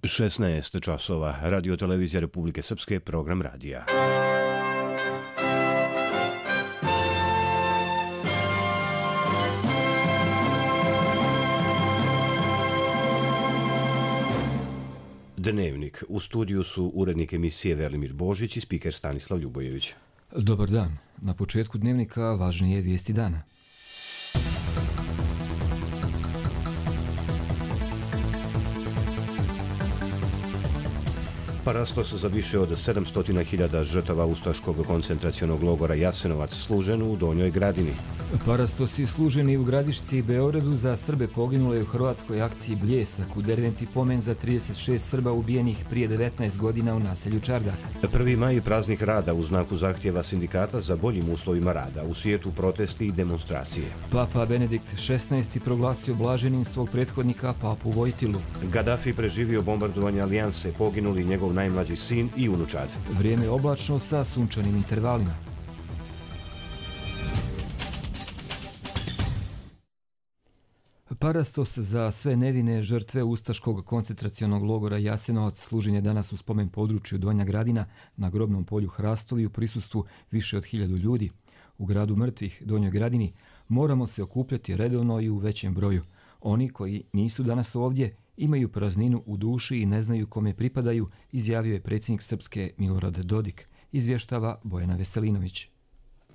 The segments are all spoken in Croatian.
16 časova. Radio Televizija Republike Srpske, program radija. Dnevnik. U studiju su urednik emisije Velimir Božić i spiker Stanislav Ljubojević. Dobar dan. Na početku dnevnika važnije vijesti dana. Parastos za više od 700.000 žrtava ustaškog koncentracionog logora Jasenovac služen u Donjoj Gradini. Parastosi služeni u Gradišci i Beogradu za Srbe poginule u hrvatskoj akciji Bljesak u Derventi pomen za 36 Srba ubijenih prije 19 godina u naselju Čardak. 1. maj praznik rada u znaku zahtjeva sindikata za boljim uslovima rada, u svijetu protesti i demonstracije. Papa Benedikt XVI proglasio blaženim svog prethodnika Papu Vojtilu. Gaddafi preživio bombardovanje Alijanse, poginuli njegov najmlađi sin i unučad. Vrijeme oblačno sa sunčanim intervalima. Parastos za sve nevine žrtve ustaškog koncentracionog logora Jasenovac služen je danas u spomen području Donja Gradina na grobnom polju Hrastovi u prisustvu više od 1000 ljudi. U gradu mrtvih Donjoj Gradini moramo se okupljati redovno i u većem broju. Oni koji nisu danas ovdje imaju prazninu u duši i ne znaju kome pripadaju, izjavio je predsjednik Srpske Milorad Dodik, izvještava Bojana Veselinović.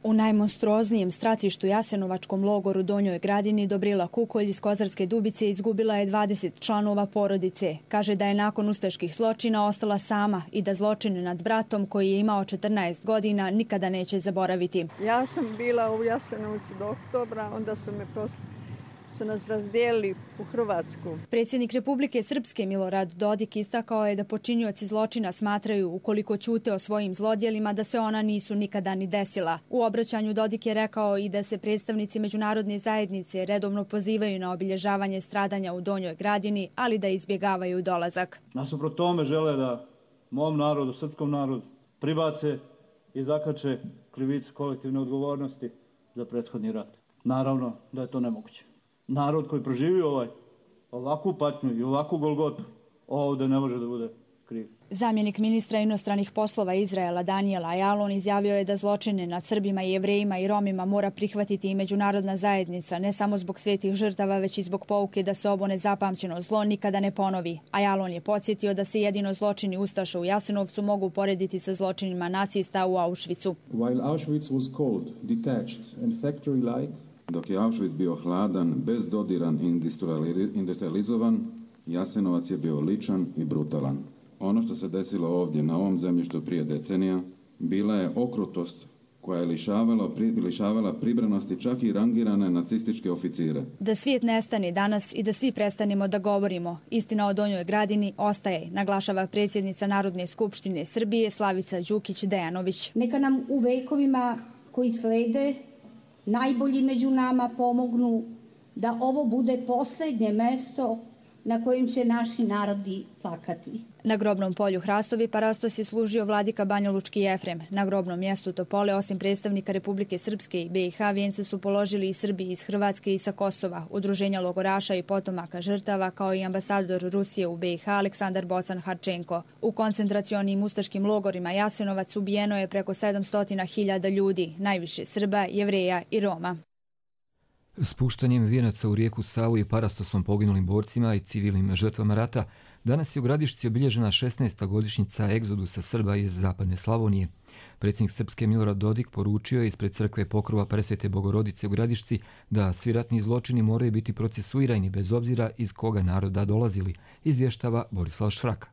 U najmonstruoznijem stratištu Jasenovačkom logoru Donjoj Gradini Dobrila Kukolj iz Kozarske Dubice izgubila je 20 članova porodice. Kaže da je nakon ustaških zločina ostala sama i da zločine nad bratom koji je imao 14 godina nikada neće zaboraviti. Ja sam bila u Jasenovcu do oktobra, onda su nas razdijelili u Hrvatsku. Predsjednik Republike Srpske Milorad Dodik istakao je da počinioci zločina smatraju, ukoliko ćute o svojim zlodjelima, da se ona nisu nikada ni desila. U obraćanju Dodik je rekao i da se predstavnici međunarodne zajednice redovno pozivaju na obilježavanje stradanja u Donjoj Gradini, ali da izbjegavaju dolazak. Nasuprot tome žele da mom narodu, srpskom narodu, pribace i zakače krivicu kolektivne odgovornosti za prethodni rat. Naravno da je to nemoguće. Narod koji proživio ovakvu patnju i ovakvu golgotu ovdje ne može da bude kriv. Zamjenik ministra inostranih poslova Izraela Daniel Ayalon izjavio je da zločine nad Srbima, Jevrejima i Romima mora prihvatiti i međunarodna zajednica, ne samo zbog svetih žrtava, već i zbog pouke da se ovo nezapamćeno zlo nikada ne ponovi. Ayalon je podsjetio da se jedino zločini ustaša u Jasenovcu mogu porediti sa zločinima nacista u Auschwitzu. While Auschwitz was cold, detached and factory-like, dok je Auschwitz bio hladan, bezdodiran i industrializovan, Jasenovac je bio ličan i brutalan. Ono što se desilo ovdje na ovom zemljištu prije decenija bila je okrutost koja je lišavala pribranosti čak i rangirane nacističke oficire. Da svijet nestane danas i da svi prestanemo da govorimo. Istina o Donjoj Gradini ostaje, naglašava predsjednica Narodne skupštine Srbije Slavica Đukić-Dejanović. Neka nam u vekovima koji slede najbolji među nama pomognu da ovo bude posljednje mesto na kojem će naši narodi plakati. Na grobnom polju Hrastovi Parastos je služio vladika Banjalučki Jefrem. Na grobnom mjestu Topole, osim predstavnika Republike Srpske i BiH, vijence su položili i Srbi iz Hrvatske i sa Kosova, udruženja logoraša i potomaka žrtava, kao i ambasador Rusije u BiH Aleksandar Bocan Harčenko. U koncentracionim ustaškim logorima Jasenovac ubijeno je preko 700.000 ljudi, najviše Srba, Jevreja i Roma. Spuštanjem vijenaca u rijeku Savu i Parastosom poginulim borcima i civilnim žrtvama rata, danas je u Gradišci obilježena 16. godišnjica egzodusa Srba iz zapadne Slavonije. Predsjednik Srpske Milorad Dodik poručio je ispred crkve Pokrova Presvete Bogorodice u Gradišci da svi ratni zločini moraju biti procesuirani bez obzira iz koga naroda dolazili, izvještava Borislav Šfraka.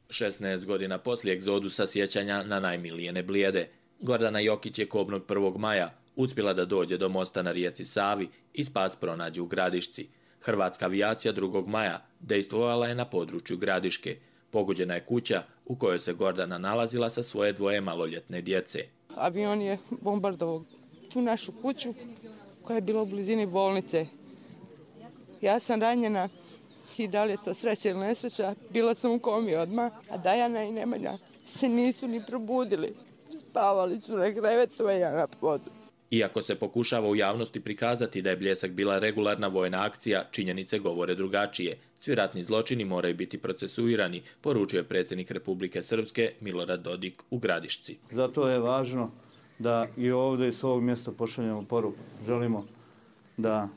16 godina poslije egzodusa sjećanja na najmilijene Blijede, Gordana Jokić je kobnog 1. maja uspjela da dođe do mosta na rijeci Savi i spas pronađe u Gradišci. Hrvatska avijacija 2. maja dejstvovala je na području Gradiške. Pogođena je kuća u kojoj se Gordana nalazila sa svoje 2 maloljetne djece. Avion je bombardovao tu našu kuću koja je bila u blizini bolnice. Ja sam ranjena i da li je to sreća ili nesreća, bila sam u komi odmah, a Dajana i Nemanja se nisu ni probudili. Spavali su na krevetu, a ja na podu. Iako se pokušava u javnosti prikazati da je Bljesak bila regularna vojna akcija, činjenice govore drugačije. Svi ratni zločini moraju biti procesuirani, poručuje predsjednik Republike Srpske Milorad Dodik u Gradišci. Zato je važno da i ovdje s ovog mjesta pošaljemo poruku. Želimo da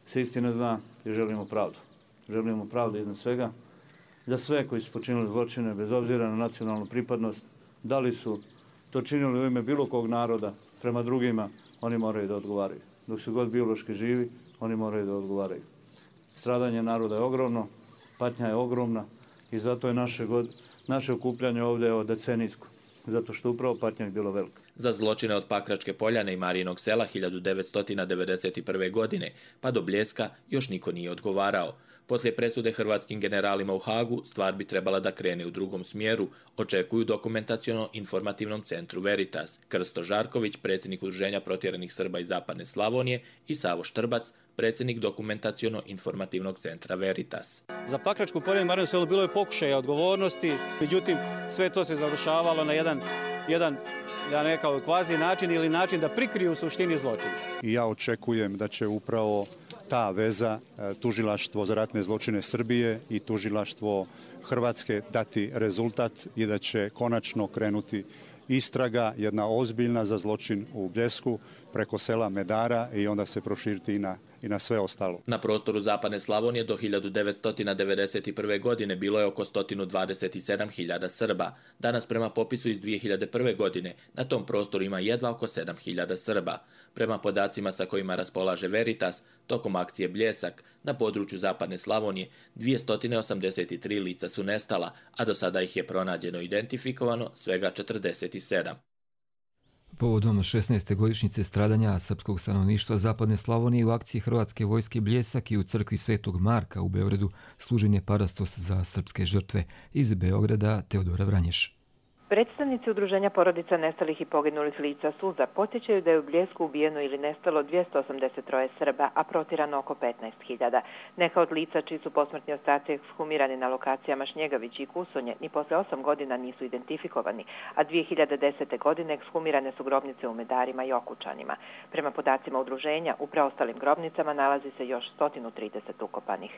se istina zna i želimo pravdu. Želimo pravdu iznad svega. Za sve koji su počinili zločine, bez obzira na nacionalnu pripadnost, da li su to činili u ime bilo kog naroda prema drugima, oni moraju da odgovaraju. Dok su god biološki živi, oni moraju da odgovaraju. Stradanje naroda je ogromno, patnja je ogromna i zato je naše okupljanje ovdje decenijsko. Zato što upravo patnja je bilo velika. Za zločine od Pakračke Poljane i Marijinog sela 1991. godine pa do Bljeska još niko nije odgovarao. Poslije presude hrvatskim generalima u Hagu stvar bi trebala da krene u drugom smjeru, očekuju dokumentaciono-informativnom centru Veritas. Krsto Žarković, predsjednik Udruženja protjeranih Srba iz Zapadne Slavonije, i Savo Štrbac, predsjednik dokumentaciono-informativnog centra Veritas. Za Pakračku Poljanu i Marijino selo bilo je pokušaja odgovornosti, međutim sve to se završavalo na jedan da ne kao kvazi način ili način da prikriju u suštini zločin. I ja očekujem da će upravo ta veza tužilaštvo za ratne zločine Srbije i tužilaštvo Hrvatske dati rezultat i da će konačno krenuti istraga, jedna ozbiljna za zločin u Bljesku preko sela Medara i onda se proširiti i na sve ostalo. Na prostoru Zapadne Slavonije do 1991. godine bilo je oko 127.000 Srba. Danas prema popisu iz 2001. godine na tom prostoru ima jedva oko 7.000 Srba. Prema podacima sa kojima raspolaže Veritas, tokom akcije Bljesak na području Zapadne Slavonije 283 lica su nestala, a do sada ih je pronađeno i identifikovano svega 47. Povodom 16. godišnjice stradanja srpskog stanovništva Zapadne Slavonije u akciji Hrvatske vojske Bljesak i u crkvi Svetog Marka u Beogradu služen je parastos za srpske žrtve. Iz Beograda Teodora Vranješ. Predstavnici Udruženja porodica nestalih i poginulih lica Suza podsjećaju da je u Bljesku ubijeno ili nestalo 283 Srba, a protirano oko 15.000. Neka od lica čiji su posmrtni ostaci ekshumirani na lokacijama Šnjegavić i Kusonje ni posle 8 godina nisu identifikovani, a 2010. godine ekshumirane su grobnice u Medarima i Okučanima. Prema podacima udruženja, u preostalim grobnicama nalazi se još 130 ukopanih.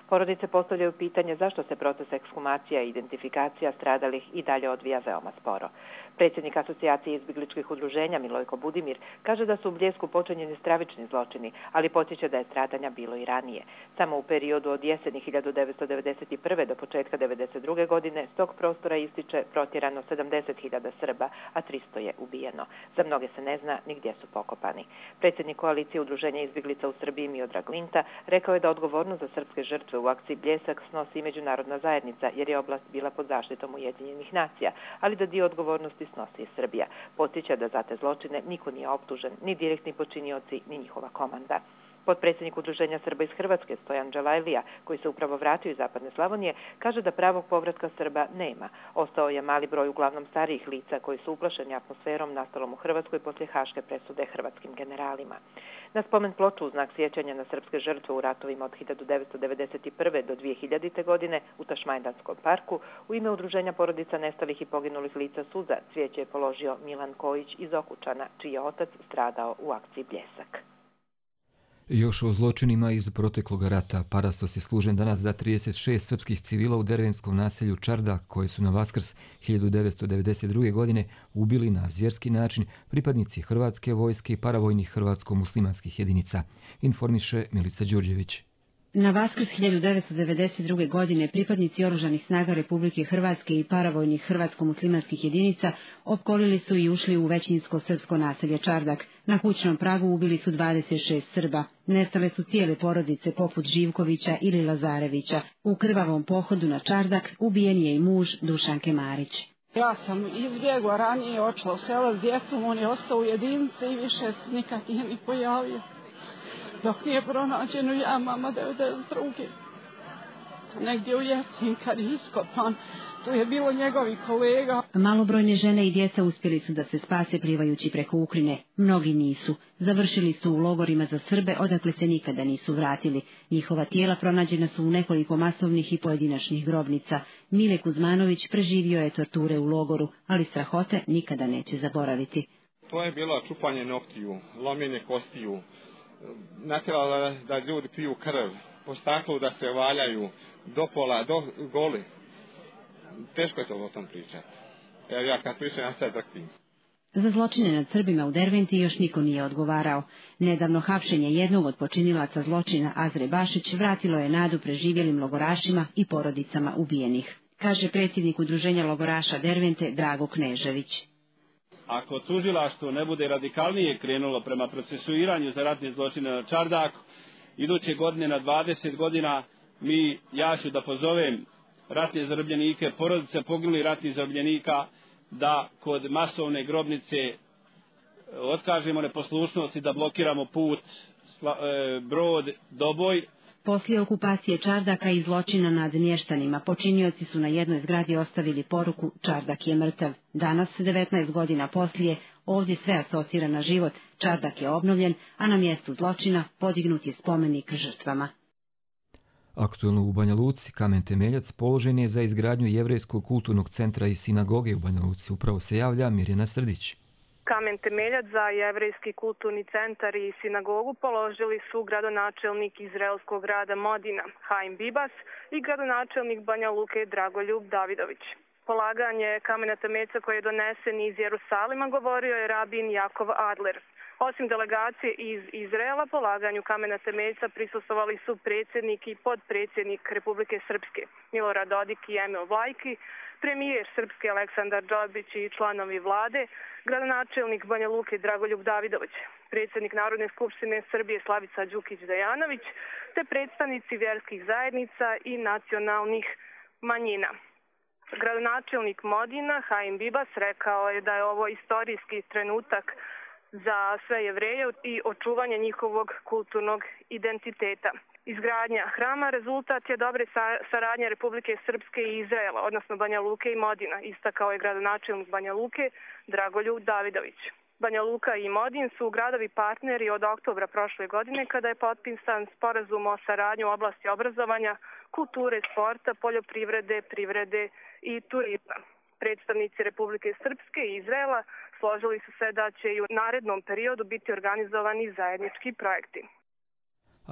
Porodice postavljaju pitanje zašto se proces ekshumacija i identifikacija stradalih i dalje odvija veoma sporo. Predsjednik Asocijacije izbjegličkih udruženja Milojko Budimir kaže da su u Bljesku počinjeni stravični zločini, ali podsjeća da je stradanja bilo i ranije. Samo u periodu od jeseni 1991. do početka 1992. godine s tog prostora ističe protjerano 70.000 Srba, a 300 je ubijeno. Za mnoge se ne zna ni gdje su pokopani. Predsjednik koalicije udruženja izbjeglica u Srbiji Miodrag Linta rekao je da odgovornost za srpske žrtve u akciji Bljesak snosi međunarodna zajednica jer je oblast bila pod zaštitom Ujedinjenih nacija, ali da dio odgovornosti snosi i Srbija. Podsjeća da za te zločine niko nije optužen, ni direktni počinioci, ni njihova komanda. Potpredsjednik Udruženja Srba iz Hrvatske Stojan Đalajlija, koji se upravo vratio iz Zapadne Slavonije, kaže da pravog povratka Srba nema. Ostao je mali broj uglavnom starijih lica koji su uplašeni atmosferom nastalom u Hrvatskoj poslije haške presude hrvatskim generalima. Na spomen ploču u znak sjećanja na srpske žrtve u ratovima od 1991. do 2000. godine u Tašmajdanskom parku u ime Udruženja porodica nestalih i poginulih lica Suza cvijeće je položio Milan Kojić iz Okučana, čiji je otac stradao u akciji Bljesak. Još o zločinima iz proteklog rata. Parastos je služen danas za 36 srpskih civila u dervenskom naselju Čardak, koje su na Vaskrs 1992. godine ubili na zvjerski način pripadnici Hrvatske vojske i paravojnih hrvatsko-muslimanskih jedinica, informiše Milica Đurđević. Na Vaskrs 1992. godine pripadnici oružanih snaga Republike Hrvatske i paravojnih hrvatsko-muslimanskih jedinica opkolili su i ušli u većinsko srpsko naselje Čardak. Na kućnom pragu ubili su 26 Srba. Nestale su cijele porodice poput Živkovića ili Lazarevića. U krvavom pohodu na Čardak ubijen je i muž Dušanke Marić. Ja sam izbjegla ranije, očela u sela s djecom, on je ostao u jedinici i više nikad nije ni pojavio. Dok nije pronađeno ja, mama 92. Negdje u jesen kad je iskopan, tu je bilo njegovih kolega. Malobrojne žene i djeca uspjeli su da se spase plivajući preko Ukrajine. Mnogi nisu. Završili su u logorima za Srbe, odakle se nikada nisu vratili. Njihova tijela pronađena su u nekoliko masovnih i pojedinačnih grobnica. Mile Kuzmanović preživio je torture u logoru, ali strahote nikada neće zaboraviti. To je bilo čupanje noktiju, lomljenje kostiju, natjeralo da ljudi piju krv, po staklu da se valjaju, do pola, do goli. Teško je to o tom pričati. Evo ja kad pričam, ja sad drhtim. Za zločine nad Srbima u Derventi još niko nije odgovarao. Nedavno hapšenje jednog od počinilaca zločina, Azre Bašić, vratilo je nadu preživjelim logorašima i porodicama ubijenih, kaže predsjednik Udruženja logoraša Dervente Drago Knežević. Ako tužilaštvo ne bude radikalnije krenulo prema procesuiranju za ratne zločine na Čardaku, iduće godine na 20 godina ja ću da pozovem ratne zarobljenike, porodice poginulih ratnih zarobljenika, da kod masovne grobnice otkažemo neposlušnost i da blokiramo put Brod, Doboj. Poslije okupacije Čardaka i zločina nad mještanima, počinioci su na jednoj zgradi ostavili poruku Čardak je mrtav. Danas, 19 godina poslije, ovdje sve asocira na život. Čardak je obnovljen, a na mjestu zločina podignut je spomenik žrtvama. Aktuelno u Banja Luci kamen temeljac položen je za izgradnju Jevrejskog kulturnog centra i sinagoge u Banja Luci. Upravo se javlja Mirjana Srdić. Kamen temeljac za Jevrejski kulturni centar i sinagogu položili su gradonačelnik izraelskog grada Modina Haim Bibas i gradonačelnik Banja Luke Dragoljub Davidović. Polaganje kamena temeljca koji je donesen iz Jerusalima govorio je rabin Jakov Adler. Osim delegacije iz Izraela, polaganju kamena temeljca prisustvovali su predsjednik i podpredsjednik Republike Srpske Milorad Dodik i Emil Vlajki, premijer Srpske Aleksandar Đobić i članovi vlade, gradonačelnik Banja Luke Dragoljub Davidović, predsjednik Narodne skupštine Srbije Slavica Đukić-Dejanović, te predstavnici vjerskih zajednica i nacionalnih manjina. Gradonačelnik Modina Haim Bibas rekao je da je ovo istorijski trenutak za sve Jevreje i očuvanje njihovog kulturnog identiteta. Izgradnja hrama rezultat je dobre saradnje Republike Srpske i Izraela, odnosno Banja Luke i Modina, istakao je gradonačelnik Banja Luke Dragoljub Davidović. Banja Luka i Modin su gradovi partneri od oktobra prošle godine kada je potpisan sporazum o saradnji u oblasti obrazovanja, kulture, sporta, poljoprivrede, privrede i turizma. Predstavnici Republike Srpske i Izraela složili su se da će i u narednom periodu biti organizovani zajednički projekti.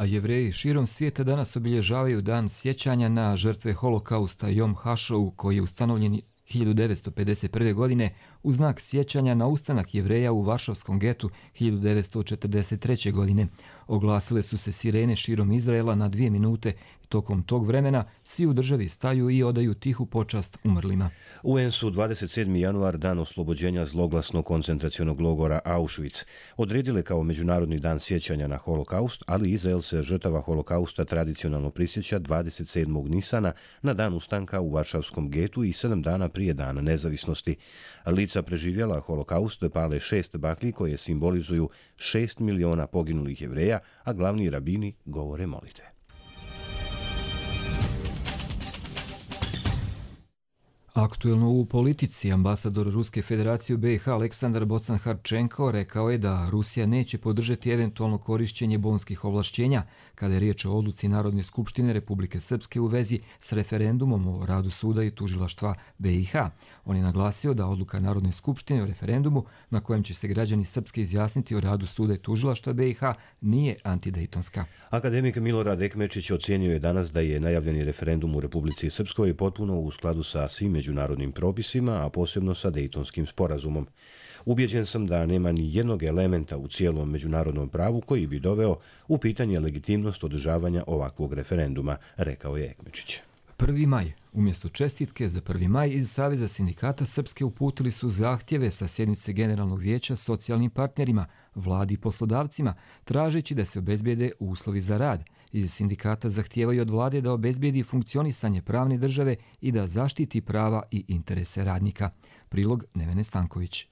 A Jevreji širom svijeta danas obilježavaju dan sjećanja na žrtve holokausta Jom Hašou, koji je ustanovljen 1951. godine u znak sjećanja na ustanak Jevreja u Varšavskom getu 1943. godine. Oglasile su se sirene širom Izraela na 2 minute. Tokom tog vremena svi u državi staju i odaju tihu počast umrlima. UN su 27. januar, dan oslobođenja zloglasnog koncentracionog logora Auschwitz, odredile kao Međunarodni dan sjećanja na holokaust, ali Izrael se žrtava holokausta tradicionalno prisjeća 27. Nisana na dan ustanka u Varšavskom getu i 7 dana prije dana nezavisnosti. Lica preživjela holokaust pale 6 baklji koje simbolizuju 6 miliona poginulih Jevreja, a glavni rabini govore molitve. Aktuelno u politici, ambasador Ruske federacije u BiH Aleksandar Bocan-Harčenko rekao je da Rusija neće podržati eventualno korišćenje bonskih ovlašćenja kada je riječ o odluci Narodne skupštine Republike Srpske u vezi s referendumom o radu suda i tužilaštva BiH. On je naglasio da odluka Narodne skupštine o referendumu na kojem će se građani Srpske izjasniti o radu suda i tužilaštva BiH nije antidejtonska. Akademik Milorad Ekmečić ocijenio je danas da je najavljeni referendum u Republici Srpskoj potpuno u skladu sa svim međunarodnim propisima, a posebno sa Dejtonskim sporazumom. Ubjeđen sam da nema ni jednog elementa u cijelom međunarodnom pravu koji bi doveo u pitanje legitimnost održavanja ovakvog referenduma, rekao je Ekmečić. 1. maj. Umjesto čestitke za 1. maj iz Saveza sindikata Srpske uputili su zahtjeve sa sjednice Generalnog vijeća socijalnim partnerima, vladi i poslodavcima, tražeći da se obezbijede uslovi za rad. Iz sindikata zahtijevaju od vlade da obezbijedi funkcionisanje pravne države i da zaštiti prava i interese radnika. Prilog Nevene Stanković.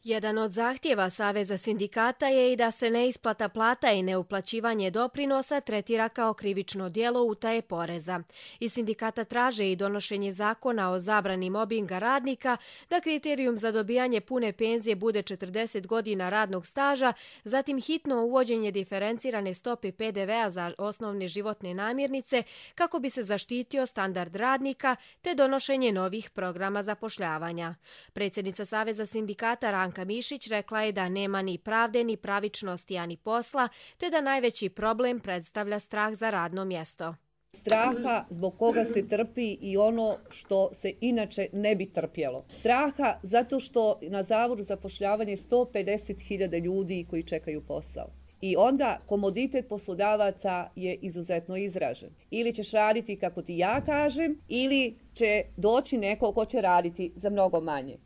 Jedan od zahtjeva Saveza sindikata je i da se neisplata plata i neuplaćivanje doprinosa tretira kao krivično djelo utaje poreza. Iz sindikata traže i donošenje zakona o zabrani mobinga radnika, da kriterijum za dobijanje pune penzije bude 40 godina radnog staža, zatim hitno uvođenje diferencirane stope PDV-a za osnovne životne namirnice kako bi se zaštitio standard radnika, te donošenje novih programa zapošljavanja. Predsjednica Saveza sindikata Branka Mišić rekla je da nema ni pravde, ni pravičnosti, ani posla, te da najveći problem predstavlja strah za radno mjesto. Straha zbog koga se trpi i ono što se inače ne bi trpjelo. Straha zato što na Zavodu za zapošljavanje 150.000 ljudi koji čekaju posao. I onda komoditet poslodavaca je izuzetno izražen. Ili ćeš raditi kako ti ja kažem, ili će doći neko ko će raditi za mnogo manje.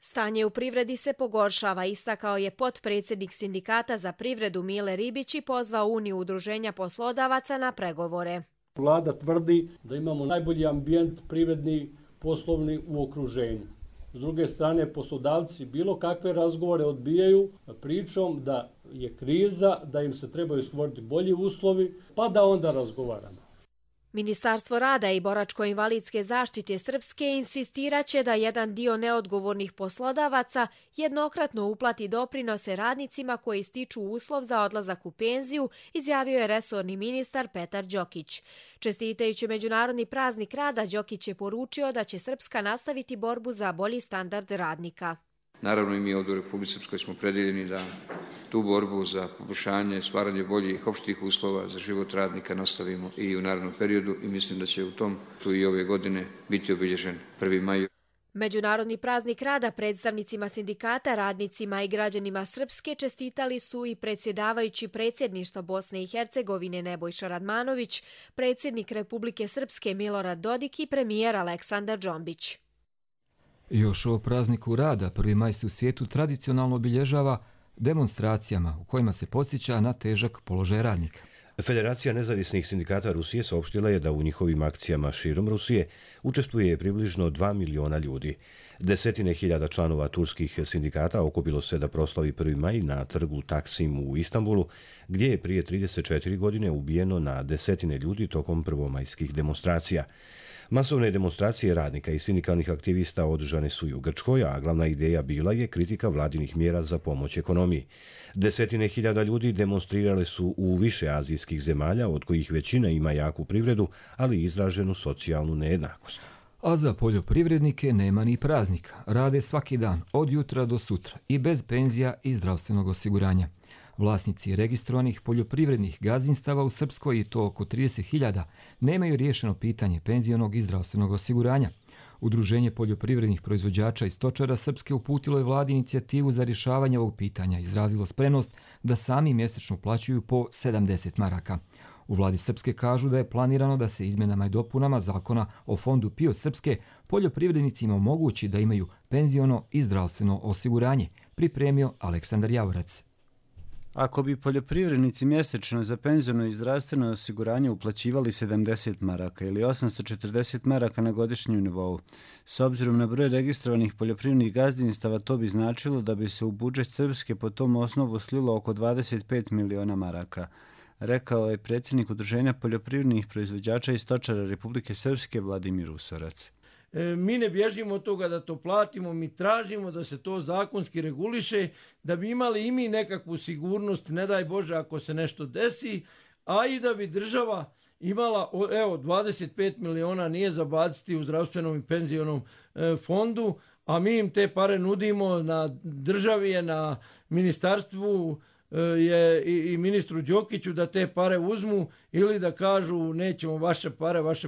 Stanje u privredi se pogoršava, istakao je potpredsjednik Sindikata za privredu Mile Ribić i pozvao Uniju udruženja poslodavaca na pregovore. Vlada tvrdi da imamo najbolji ambijent privredni, poslovni u okruženju. S druge strane, poslodavci bilo kakve razgovore odbijaju pričom da je kriza, da im se trebaju stvoriti bolji uslovi, pa da onda razgovaramo. Ministarstvo rada i boračko-invalidske zaštite Srpske insistiraće da jedan dio neodgovornih poslodavaca jednokratno uplati doprinose radnicima koji stiču uslov za odlazak u penziju, izjavio je resorni ministar Petar Đokić. Čestitajući Međunarodni praznik rada, Đokić je poručio da će Srpska nastaviti borbu za bolji standard radnika. Naravno i mi ovdje u Republici Srpskoj smo predjeljeni da tu borbu za poboljšanje, stvaranje boljih opštih uslova za život radnika nastavimo i u narednom periodu i mislim da će u tom tu i ove godine biti obilježen 1. maj. Međunarodni praznik rada predstavnicima sindikata, radnicima i građanima Srpske čestitali su i predsjedavajući predsjedništva Bosne i Hercegovine Nebojša Radmanović, predsjednik Republike Srpske Milorad Dodik i premijer Aleksandar Džombić. Još o prazniku rada 1. maj se u svijetu tradicionalno obilježava demonstracijama u kojima se podsjeća na težak položaj radnika. Federacija nezavisnih sindikata Rusije saopštila je da u njihovim akcijama širom Rusije učestvuje približno 2 miliona ljudi. Desetine hiljada članova turskih sindikata okupilo se da proslavi 1. maj na trgu Taksim u Istanbulu, gdje je prije 34 godine ubijeno na desetine ljudi tokom prvomajskih demonstracija. Masovne demonstracije radnika i sindikalnih aktivista održane su i u Grčkoj, a glavna ideja bila je kritika vladinih mjera za pomoć ekonomiji. Desetine hiljada ljudi demonstrirale su u više azijskih zemalja, od kojih većina ima jaku privredu, ali i izraženu socijalnu nejednakost. A za poljoprivrednike nema ni praznika. Rade svaki dan, od jutra do sutra, i bez penzija i zdravstvenog osiguranja. Vlasnici registrovanih poljoprivrednih gazdinstava u Srpskoj, i to oko 30.000, nemaju riješeno pitanje penzionog i zdravstvenog osiguranja. Udruženje poljoprivrednih proizvođača i stočara Srpske uputilo je vladi inicijativu za rješavanje ovog pitanja, izrazilo spremnost da sami mjesečno plaćaju po 70 maraka. U vladi Srpske kažu da je planirano da se izmjenama i dopunama zakona o fondu PIO Srpske poljoprivrednicima omogući da imaju penziono i zdravstveno osiguranje, pripremio Aleksandar Javorac. Ako bi poljoprivrednici mjesečno za penziono i zdravstveno osiguranje uplaćivali 70 maraka ili 840 maraka na godišnjem nivou, s obzirom na broj registrovanih poljoprivrednih gazdinstava, to bi značilo da bi se u budžet Srpske po tom osnovu slilo oko 25 miliona maraka, rekao je predsjednik Udruženja poljoprivrednih proizvođača i stočara Republike Srpske Vladimir Usorac. Mi ne bježimo od toga da to platimo, mi tražimo da se to zakonski reguliše, da bi imali i mi nekakvu sigurnost, ne daj Bože ako se nešto desi, a i da bi država imala, evo, 25 miliona nije za baciti u zdravstvenom i penzionom fondu, a mi im te pare nudimo, na državi je, na ministarstvu je i ministru Đokiću da te pare uzmu ili da kažu nećemo vaše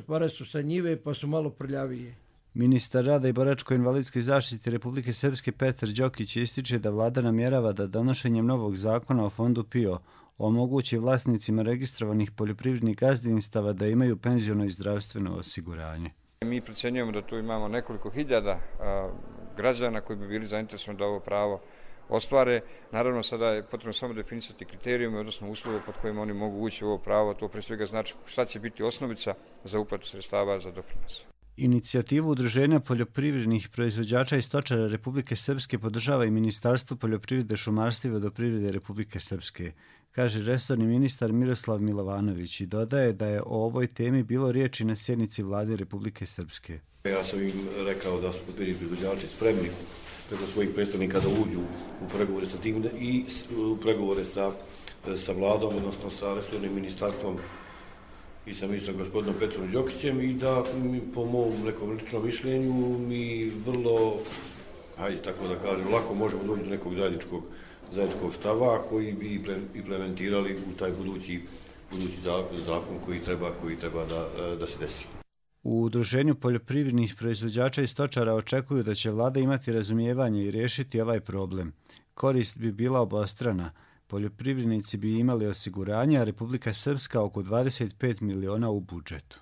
pare su sa njive pa su malo prljavije. Ministar rada i boračko-invalidske zaštite Republike Srpske Petar Đokić ističe da vlada namjerava da donošenjem novog zakona o fondu PIO omogući vlasnicima registrovanih poljoprivrednih gazdinstava da imaju penziono i zdravstveno osiguranje. Mi procjenjujemo da tu imamo nekoliko hiljada građana koji bi bili zainteresovani da ovo pravo ostvare. Naravno, sada je potrebno samo definisati kriterijume, odnosno uslove pod kojima oni mogu ući u ovo pravo. To pre svega znači šta će biti osnovica za uplatu sredstava za doprinos. Inicijativu Udruženja poljoprivrednih proizvođača i stočara Republike Srpske podržava i Ministarstvo poljoprivrede, šumarstva i vodoprivrede Republike Srpske, kaže resorni ministar Miroslav Milovanović i dodaje da je o ovoj temi bilo riječi na sjednici vlade Republike Srpske. Ja sam im rekao da su poljoprivredni proizvođači spremni preko svojih predstavnika da uđu u pregovore sa tim i u pregovore sa vladom, odnosno sa resornim ministarstvom i sa ministrom gospodinom Petrom Đokićem i da po mom nekom ličnom mišljenju mi vrlo hajde tako da kažem, lako možemo doći do nekog zajedničkog stava koji bi implementirali u taj budući zakon koji treba da se desi. U Udruženju poljoprivrednih proizvođača i stočara očekuju da će vlada imati razumijevanje i riješiti ovaj problem. Korist bi bila obostrana. Poljoprivrednici bi imali osiguranje, a Republika Srpska oko 25 miliona u budžetu.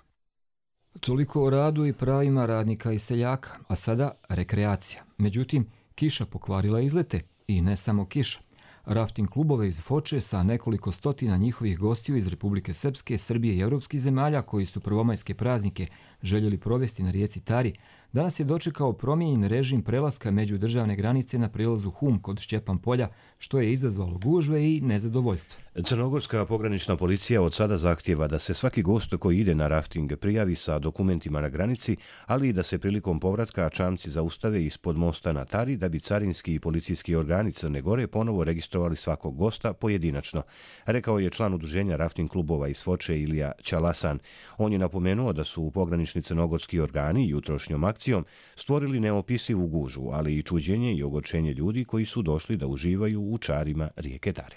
Toliko o radu i pravima radnika i seljaka, a sada rekreacija. Međutim, kiša pokvarila izlete i ne samo kiša. Rafting klubove iz Foče sa nekoliko stotina njihovih gostiju iz Republike Srpske, Srbije i evropskih zemalja koji su prvomajske praznike željeli provesti na rijeci Tari, danas je dočekao promijenjen režim prelaska međudržavne granice na prilazu Hum kod Šćepan polja, što je izazvalo gužve i nezadovoljstvo. Crnogorska pogranična policija od sada zahtijeva da se svaki gost koji ide na rafting prijavi sa dokumentima na granici, ali i da se prilikom povratka čamci zaustave ispod mosta na Tari da bi carinski i policijski organi Crne Gore ponovo registrovali svakog gosta pojedinačno, rekao je član udruženja rafting klubova iz Foče Ilija Ćalasan. On je napomenuo da su pogranični crnogorski organi jutrošnjom akcijom stvorili neopisivu gužvu, ali i čuđenje i ogorčenje ljudi koji su došli da uživaju u čarima rijeke Tare.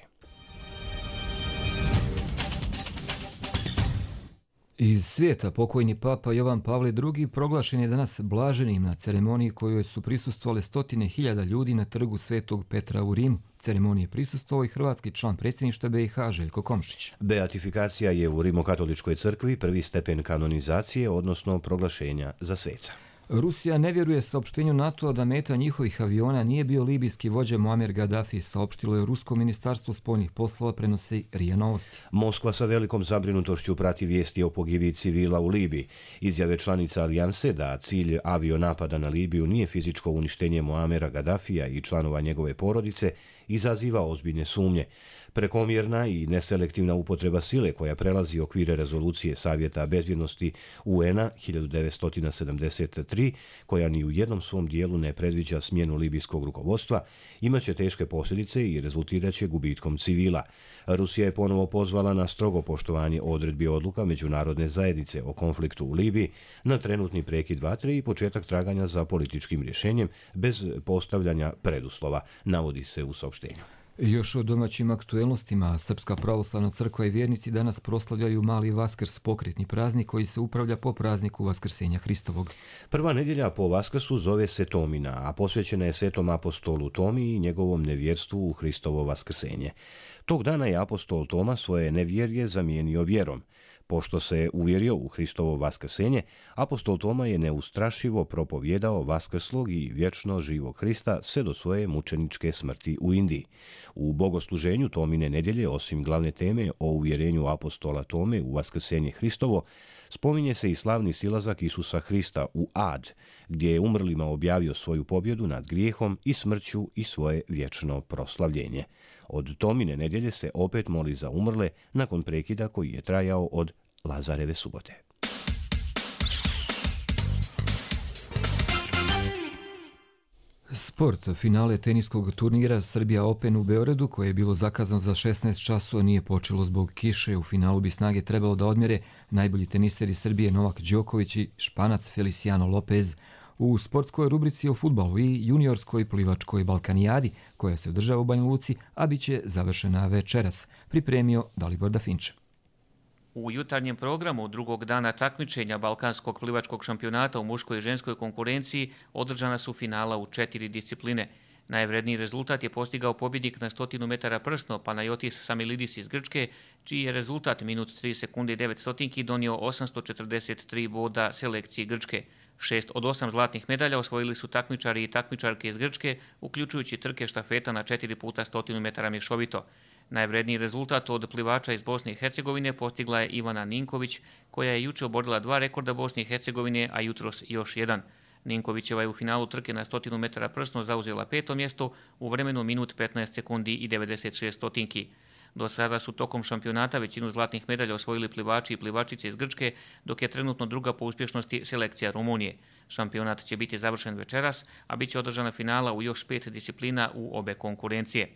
Iz svijeta pokojni papa Jovan Pavle II proglašen je danas blaženim na ceremoniji kojoj su prisustvovali stotine hiljada ljudi na trgu Svetog Petra u Rimu. Ceremonije prisustvovao i hrvatski član predsjedništva BiH Željko Komšić. Beatifikacija je u Rimokatoličkoj crkvi prvi stepen kanonizacije, odnosno proglašenja za sveca. Rusija ne vjeruje saopštenju NATO-a da meta njihovih aviona nije bio libijski vođa Muamer Gaddafi, saopštilo je Rusko ministarstvo spoljnih poslova, prenosi RIA Novosti. Moskva sa velikom zabrinutošću prati vijesti o pogibiji civila u Libiji. Izjave članica alijanse da cilj avionapada na Libiju nije fizičko uništenje Muamera Gaddafija i članova njegove porodice izaziva ozbiljne sumnje. Prekomjerna i neselektivna upotreba sile koja prelazi okvire rezolucije Savjeta bezbjednosti UN-a 1973, koja ni u jednom svom dijelu ne predviđa smjenu libijskog rukovodstva, imaće teške posljedice i rezultiraće gubitkom civila. Rusija je ponovo pozvala na strogo poštovanje odredbi odluka međunarodne zajednice o konfliktu u Libiji, na trenutni prekid vatre i početak traganja za političkim rješenjem bez postavljanja preduslova, navodi se u saopštenju. Još o domaćim aktuelnostima, Srpska pravoslavna crkva i vjernici danas proslavljaju Mali Vaskrs, pokretni praznik koji se upravlja po prazniku Vaskrsenja Hristovog. Prva nedjelja po Vaskrsu zove se Tomina, a posvećena je svetom apostolu Tomi i njegovom nevjerstvu u Hristovo vaskrsenje. Tog dana je apostol Toma svoje nevjerje zamijenio vjerom. Pošto se uvjerio u Hristovo vaskrsenje, apostol Toma je neustrašivo propovjedao vaskrslog i vječno živog Hrista sve do svoje mučeničke smrti u Indiji. U bogosluženju Tomine nedjelje, osim glavne teme o uvjerenju apostola Tome u vaskrsenje Hristovo, spominje se i slavni silazak Isusa Hrista u Ad, gdje je umrlima objavio svoju pobjedu nad grijehom i smrću i svoje vječno proslavljenje. Od Tomine nedjelje se opet moli za umrle nakon prekida koji je trajao od Lazareve subote. Sport. Finale teniskog turnira Srbija Open u Beogradu, koje je bilo zakazano za 16 časova, nije počelo zbog kiše. U finalu bi snage trebalo da odmjere najbolji teniseri Srbije Novak Đoković i Španac Feliciano Lopez. U sportskoj rubrici o fudbalu i juniorskoj plivačkoj Balkanijadi, koja se održava u Banja Luci, a bit će završena večeras, pripremio Dalibor Dafinče. U jutarnjem programu drugog dana takmičenja Balkanskog plivačkog šampionata u muškoj i ženskoj konkurenciji održana su finala u 4 discipline. Najvredniji rezultat je postigao pobjednik na 100 metara prsno Panayotis Samilidis iz Grčke, čiji je rezultat minut 3 sekunde i 9 stotinki donio 843 boda selekciji Grčke. 6 od 8 zlatnih medalja osvojili su takmičari i takmičarke iz Grčke, uključujući trke štafeta na 4 puta 100 metara mješovito. Najvredniji rezultat od plivača iz Bosne i Hercegovine postigla je Ivana Ninković, koja je juče oborila 2 rekorda Bosne i Hercegovine, a jutros još jedan. Ninkovićeva je u finalu trke na 100 metara prsno zauzela 5. mjesto u vremenu minut 15 sekundi i 96 stotinki. Do sada su tokom šampionata većinu zlatnih medalja osvojili plivači i plivačice iz Grčke, dok je trenutno druga po uspješnosti selekcija Rumunije. Šampionat će biti završen večeras, a bit će održana finala u još 5 disciplina u obe konkurencije.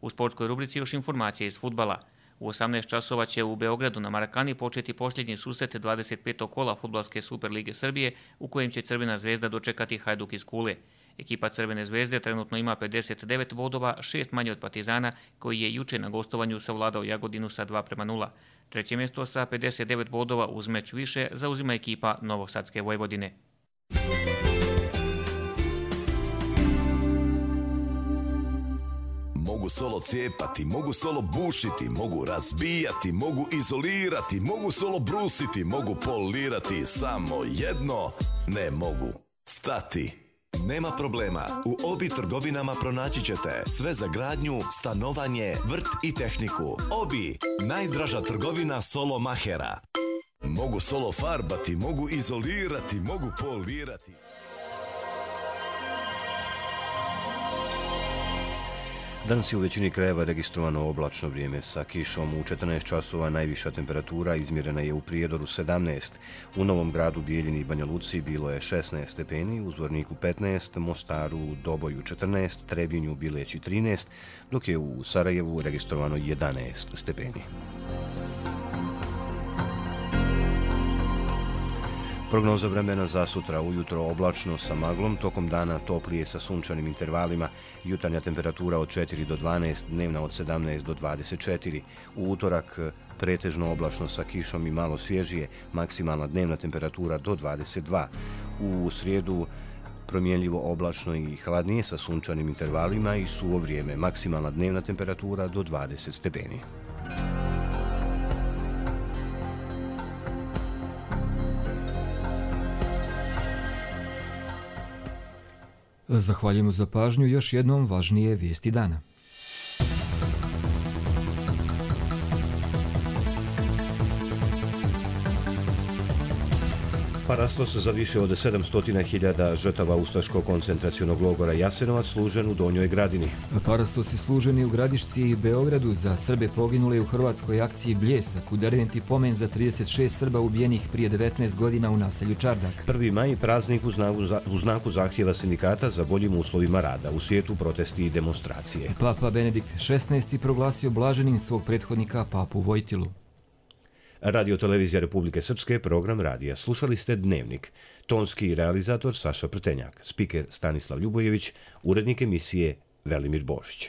U sportskoj rubrici još informacije iz fudbala. U 18 časova će u Beogradu na Marakani početi posljednji susret 25. kola Fudbalske Superlige Srbije, u kojem će Crvena zvezda dočekati Hajduk iz Kule. Ekipa Crvene zvezde trenutno ima 59 bodova, 6 manje od Partizana, koji je juče na gostovanju savladao Jagodinu sa 2:0. Treće mjesto sa 59 bodova uz meč više zauzima ekipa Novosadske Vojvodine. Mogu solo cijepati, mogu solo bušiti, mogu razbijati, mogu izolirati, mogu solo brusiti, mogu polirati, samo jedno ne mogu stati. Nema problema, u Obi trgovinama pronaći ćete sve za gradnju, stanovanje, vrt i tehniku. Obi, najdraža trgovina solo mahera. Mogu solo farbati, mogu izolirati, mogu polirati. Danas je u većini krajeva registrovano oblačno vrijeme sa kišom. U 14 časova najviša temperatura izmjerena je u Prijedoru 17, u Novom Gradu, Bijeljini i Banja Luci bilo je 16 stepeni, u Zvorniku 15, Mostaru, Doboju 14, Trebinju, Bileći 13, dok je u Sarajevu registrovano 11 stepeni. Prognoza vremena za sutra: ujutro oblačno sa maglom, tokom dana toplije sa sunčanim intervalima, jutarnja temperatura od 4 do 12, dnevna od 17 do 24. U utorak pretežno oblačno sa kišom i malo svježije, maksimalna dnevna temperatura do 22. U srijedu promjenljivo oblačno i hladnije sa sunčanim intervalima i suvo vrijeme, maksimalna dnevna temperatura do 20 stepeni. Zahvaljujemo za pažnju. Još jednom važnije vijesti dana. Parastos za više od 700.000 žrtava ustaškog koncentracionog logora Jasenovac služen u Donjoj Gradini. Parastos je služen u Gradišci i Beogradu za Srbe poginule u hrvatskoj akciji Bljesak, u Derventi pomen za 36 Srba ubijenih prije 19 godina u naselju Čardak. 1. maj praznik u znaku zahtjeva sindikata za boljim uslovima rada. U svijetu protesti i demonstracije. Papa Benedikt XVI proglasio blaženim svog prethodnika Papu Vojtilu. Radio Televizija Republike Srpske, program radija. Slušali ste Dnevnik. Tonski realizator Saša Prtenjak, spiker Stanislav Ljubojević, urednik emisije Velimir Božić.